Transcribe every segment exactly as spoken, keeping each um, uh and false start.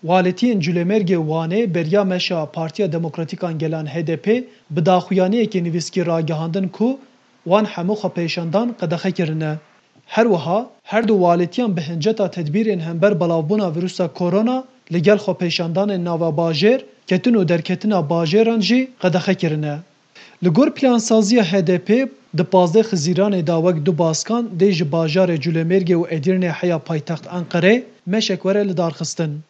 Walîtiyên Culêmêrgê Wanê beriya meşa Partiya Demokratîk a Gelan H D P bi daxuyaniyekê nivîskî ragihandin ku wan hemû xwepêşandan qedexe kirine. Her wiha her du walîtiyan bi hinceta tedbîrên hember belavbûna vîrusa korona li gel xwepêşandanên nava bajêr, ketin û derketina bajêran jî qedexe kirine. Li gor plansaziya H D P, di pazdeh Xizîranê de wek du baskan dê ji bajarê Culêmêrgê û Edîrnê heya paytext Enqerê meşek were lidarxistin.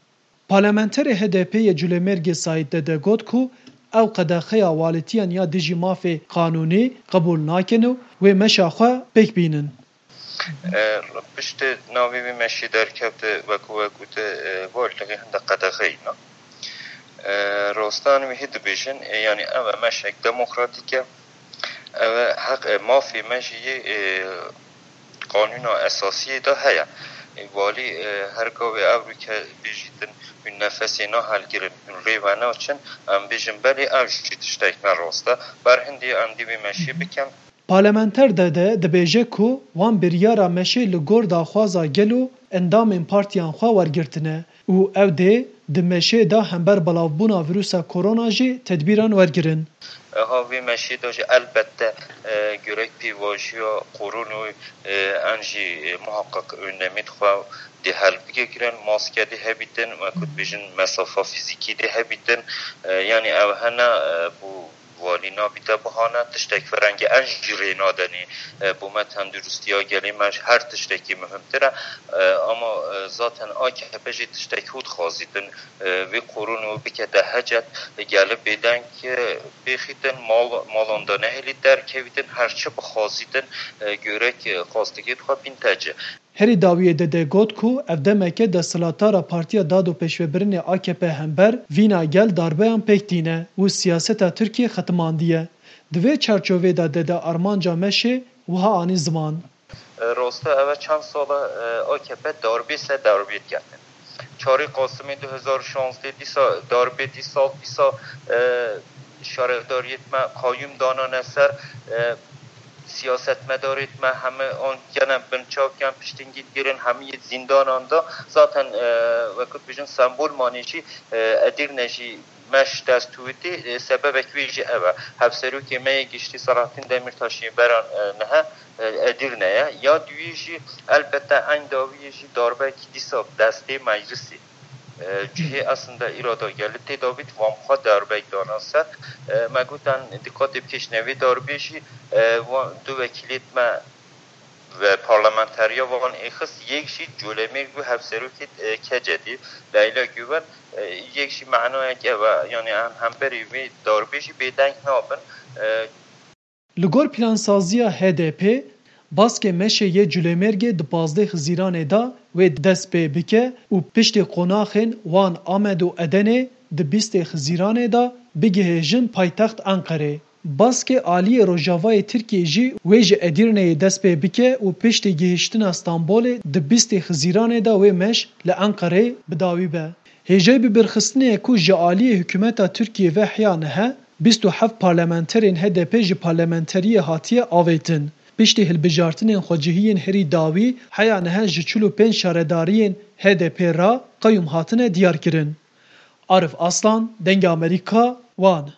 Parlamenterê H D P yê Culêmêrgê Saîd Dede got ku ew qedexeya walîtiyan ya dijî mafê qanûnî qebûl nakin û wê meşa xwe pêk bînin. E, Piştê navê wî meşî derkevte, wekû we gote, e, walî hinde qedexeyî ne. E, Rostan wî hî dibêjin, e, yanî ev e meşek demokratîk e. Ev e heq, e, mafê me jî yê, e, qanûna esasiyê de heye. E, walî, e, her gavê ev rûke bêjîtin, hûn nefesê nahelgirin, hûn rê venaçin, em bêjin belê ev jî tiştek ne rast e. Ber hindî em dê wê meşî bikin. Parlamenter Dede dibêje ku wan biryara meşê li gor daxwaza gel û endamên partiyan xwe wergirtine û ew dê di meşê de hember belavbûna vîrusa korona jî tedbîran wergirin. Eha vê meşê de jî elbette, e, gerek pêvajiya koronayê, e, em jî, e, muhaqqeq öndemî xwe dê helbigê kirin, maske dê hebîtin, wekû dibêjin mesafa fîzîkî dê hebîtin. E, yanî ew hene, e, bû walî nabîte bahane, tiştek firengî em jî rê nadenê. E, bo me tenduristiya gelê me ji her tiştekî muhimtir e. E, ama, e, zaten A K P jî tiştek hû dixwazîtin, e, vê koronê wê bikete hecet, e, gelê bêdeng, e, bêxîtin, mal, malan de nehêlî derkevîtin, her çi bixwazîtin, e, gerek, e, xwastekê dixwe bînte ci. Herî dawiyê Dede got ku ev demeke desthilatdara Partiya Dad û Pêşvebirinê A K P hember vîna gel darbeyan pêk tîne û siyaseta Tirkiyê xetimandiye. Di vê çarçovê de Dede armanca meşê wiha anî ziman. E, Rosta ev e çend sal e, A K P darbê ser darbê dikete. Çarê Qasimê du hezar û şazdeh dîsa darbê dîsal dîsa, e, şaredariyêt me qayûm danane ser, e, siyasetmedarêt me heme an gene binçavkiyan piştîngî digirin, hemî yê zîndanan de zaten, e, wekû dibêjin sembol manê jî, e, Edîrne jî meş dest tûwitî, e, sebebek wê jî ev e. Hevserokê me yê giştî Selahattin Demirtaş yê beran, e, niha, e, Edîrne ye. Ya duyê jî elbette eyn dawiyê jî darbekî dîsa destê meclisê. E, cihê eslinde îrada gelî tê davît, van xwe darbek dana ser. E, me gotan dîqatê bikêşne vê darbê jî, e, van du wekîlêt me ve parlamenteriya van êxist, yek jî Colemêrg bû hevserokê, e, K C D, Leyla Güven, e, yek jî manayek ev e, yanî em hemberî vê darbê jî bêdeng nabin. E, Li gor plansaziya H D P, baskê meşê yê Culêmêrgê di pazdeh Xizîranê de wê dest pê bike û piştî qonaxên Wan, Amed û Edenê di bîstê Xizîranê de bigihêjin paytext Enqerê. Baskê aliyê Rojavayê Tirkiyê jî wê ji Edîrneyê dest pê bike û piştî gihiştina Stenbolê di bîstê Xizîranê de wê meş li Enqerê bi dawî be. Hêjayî bibîrxistinê ye ku ji aliyê hikûmeta Tirkiyê ve heya niha bîst û heft parlamenterên H D P ji parlamenteriyê hatiye avêtin. Piştî hilbijartinên xwecihiyên herî dawî heya niha ji çil û pênc şaredariyên H D P re qeyûm hatine diyarkirin. Arif Aslan, Dengê Amerîka, Wan.